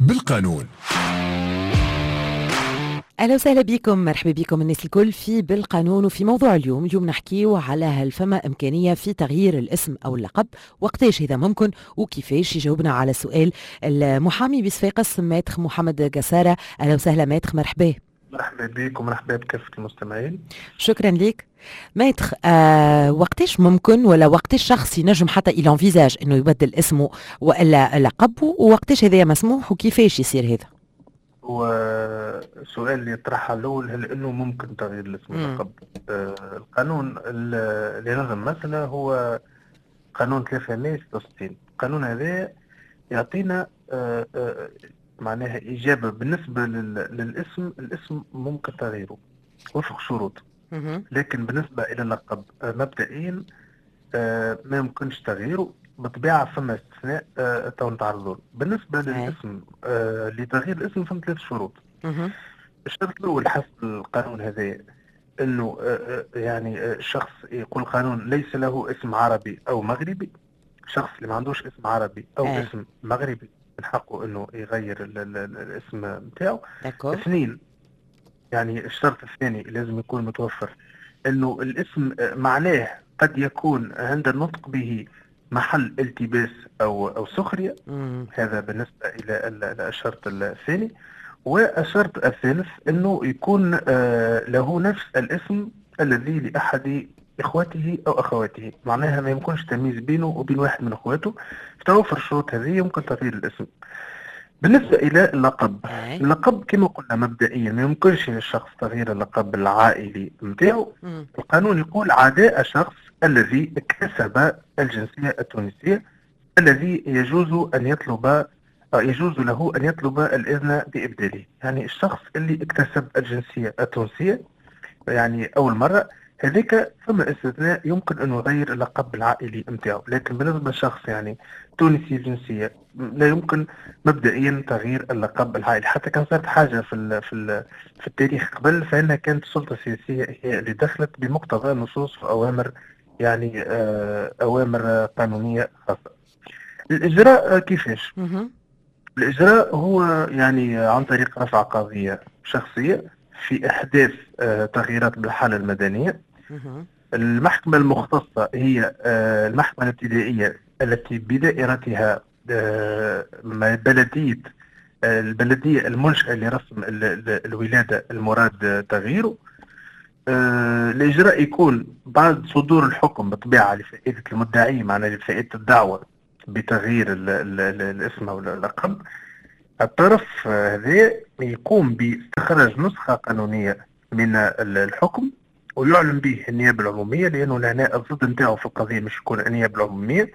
بالقانون. اهلا وسهلا بكم، مرحبا بكم الناس الكل في بالقانون. وفي موضوع اليوم، اليوم نحكيو على هل فما امكانية في تغيير الاسم او اللقب، وقتاش هذا ممكن وكيفاش. يجاوبنا على سؤال المحامي بصفاقس maître محمد قساره. اهلا وسهلا maître، مرحبا. مرحبا بك ومرحبا بكافة المستمعين. شكرا لك maître. وقتاش ممكن ولا وقتاش شخص ينجم حتى il envisage انه يبدل اسمه والا لقبه، ووقتاش هذا مسموح وكيفاش يصير هذا؟ هو السؤال اللي يطرحه الأول، هل أنه ممكن تغيير الاسم واللقب؟ القانون اللي نظم المسألة هو قانون 366. القانون هذا يعطينا معناها إجابة بالنسبة للاسم. الاسم ممكن تغييره وفق شروط، لكن بالنسبة إلى اللقب مبدئيا ما يمكنش تغييره. بالطبيعة فما استثناء تو نتعرضوا. بالنسبة للاسم، لتغيير الاسم فما ثلاث شروط. الشرط الأول حسب القانون هذا انه يعني الشخص، يقول القانون، ليس له اسم عربي او مغربي. الشخص اللي ما عندوش اسم عربي او اسم مغربي من حقه انه يغير الاسم نتاعو. اثنين، يعني الشرط الثاني لازم يكون متوفر انه الاسم معناه قد يكون عند النطق به محل التباس او سخريه. هذا بالنسبة الى الشرط الثاني. والشرط الثالث انه يكون له نفس الاسم الذي لاحد اخوته او اخواته، معناها ما يمكنش تمييز بينه وبين واحد من اخواته. في توفر الشروط هذه يمكن تغيير الاسم. بالنسبة إلى اللقب، اللقب كما قلنا مبدئيا ما يمكنش للشخص تغيير اللقب العائلي نتاعو. القانون يقول عدا الشخص الذي اكتسب الجنسية التونسية الذي يجوز أن يطلب يجوز له أن يطلب الإذن بإبداله. يعني الشخص اللي اكتسب الجنسية التونسية يعني أول مرة، هذيك ثم استثناء، يمكن أن يغير اللقب العائلي نتاعو. لكن بالنسبة لشخص يعني تونسي الجنسية لا يمكن مبدئيا تغيير اللقب العائلي. حتى كان صارت حاجة في التاريخ قبل، فإنها كانت السلطة السياسية هي اللي دخلت بمقتضى نصوص وأوامر، يعني أوامر قانونية خاصة. الإجراء كيفاش؟ الإجراء هو يعني عن طريق رفع قضية شخصية في إحداث تغييرات بالحالة المدنية. المحكمة المختصة هي المحكمة الابتدائية التي بدائرتها بلدية البلدية المنشأة لرسم الولادة المراد تغييره. الإجراء يكون بعد صدور الحكم بالطبيعة لفائدة المدعي، معناها لفائدة الدعوة بتغيير الاسم أو اللقب. الطرف هذا يقوم باستخراج نسخة قانونية من الحكم ويعلم به النيابة العمومية، لأنه لهنا الضد نتاعو في القضية مش يكون النيابة العمومية.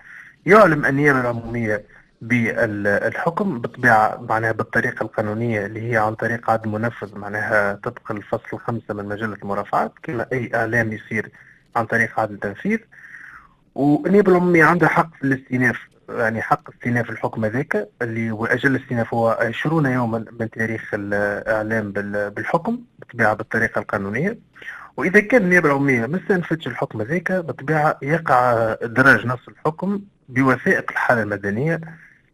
يعلم النيابة العمومية بالحكم بالطبيعة معناها بالطريقة القانونية اللي هي عن طريق عدل منفذ، معناها طبق الفصل 5 من مجلة المرافعات، كما أي إعلام يصير عن طريق عدل تنفيذ. والنيابة العمومية عندها حق في الاستئناف، يعني حق استئناف الحكم هذاك اللي هو أجل الاستئناف هو 20 يوما من تاريخ الإعلام بالحكم، بالطبيعة بالطريقة القانونية. وإذا كان النيابة العمومية ما استأنفتش الحكم هذاك، بالطبيعة يقع إدراج نص الحكم بوثائق الحالة المدنية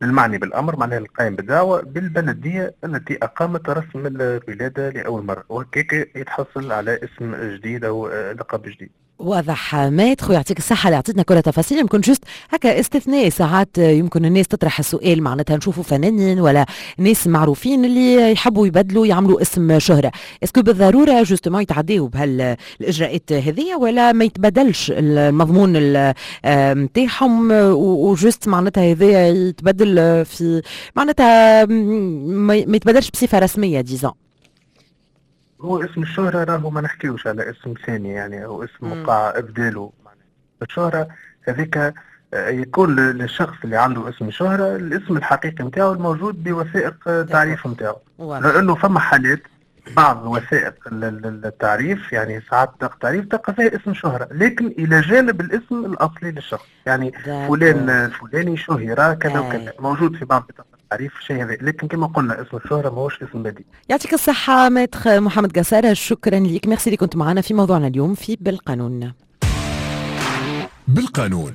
للمعني بالأمر، معناها القائم بالدعوة، بالبلدية التي أقامت رسم الولادة لأول مرة، وهكاك يتحصل على اسم جديد أو لقب جديد. واضح maître، ويعطيك الصحة اللي عطيتنا كل التفاصيل. يمكن juste هكا استثناء، ساعات يمكن الناس تطرح السؤال، معناتها نشوفوا فنانين ولا ناس معروفين اللي يحبوا يبدلوا يعملوا اسم شهرة، est-ce que بالضرورة justement يتعداوا بهالاجراءات هذيا ولا ما يتبدلش المضمون نتاعهم و juste معناتها هذايا يتبدل في معناتها ما يتبدلش بصفة رسمية disons؟ هو اسم الشهرة راهو ما نحكيوش على اسم ثاني يعني او اسم وقع ابداله. الشهرة هذيك يكون للشخص اللي عنده اسم شهرة الاسم الحقيقي نتاعو الموجود بوثائق التعريف نتاعو، لانه فما حالات بعض وثائق التعريف، يعني ساعات التعريف تلقى فيها اسم شهرة لكن إلى جانب الاسم الأصلي للشخص، يعني فلان الفلاني شهر كذا وكذا، موجود في بعض بطاقة التعريف الشيء هذا. لكن كما قلنا اسم الشهرة ماهوش اسم بديل. يعطيك الصحة maître محمد قسارة، شكرا لك، ميرسي اللي كنت معنا في موضوعنا اليوم في بالقانون. بالقانون.